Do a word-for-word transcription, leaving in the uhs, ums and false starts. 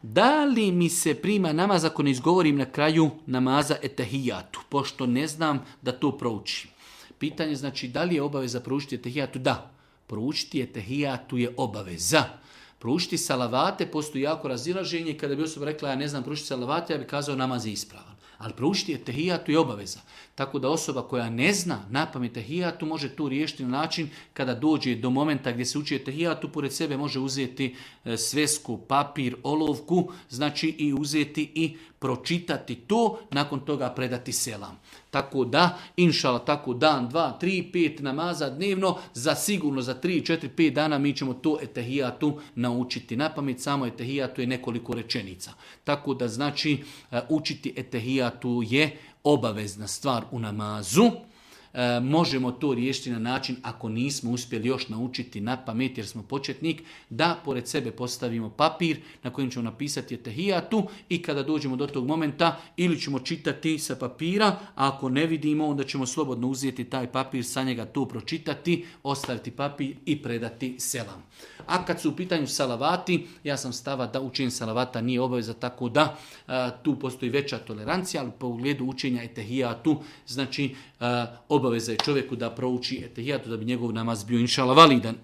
Da li mi se prima namaz ako ne izgovorim na kraju namaza etehijatu, pošto ne znam da to proučim? Pitanje znači da li je obaveza proučiti etehijatu? Da, proučiti etehijatu je obaveza. Proučiti salavate, postoji jako razilaženje. Kada bi osoba rekla ja ne znam proučiti salavate, ja bi kazao namaz je ispravan. Ali proučiti etehijatu je obaveza. Tako da osoba koja ne zna napamet etehijatu može tu riješiti na način kada dođe do momenta gdje se uči etehijatu, pored sebe može uzeti svesku, papir, olovku, znači i uzeti i pročitati to, nakon toga predati selam. Tako da, inšala, tako dan, dva, tri, pet namaza dnevno, za sigurno za tri, četiri, pet dana mi ćemo to etehijatu naučiti napamet. Samo etehijatu je nekoliko rečenica. Tako da znači učiti etehijatu je obavezna stvar u namazu. E, možemo to riješiti na način, ako nismo uspjeli još naučiti na pamet jer smo početnik, da pored sebe postavimo papir na kojem ćemo napisati etehijatu i kada dođemo do tog momenta ili ćemo čitati sa papira, a ako ne vidimo onda ćemo slobodno uzeti taj papir, sa njega to pročitati, ostaviti papir i predati selam. A kad su u pitanju salavati, ja sam stava da učenje salavata nije obaveza, tako da a, tu postoji veća tolerancija, ali po ugledu učenja etehijatu, znači a, obaveza je čovjeku da prouči etehijatu da bi njegov namaz bio inšala validan.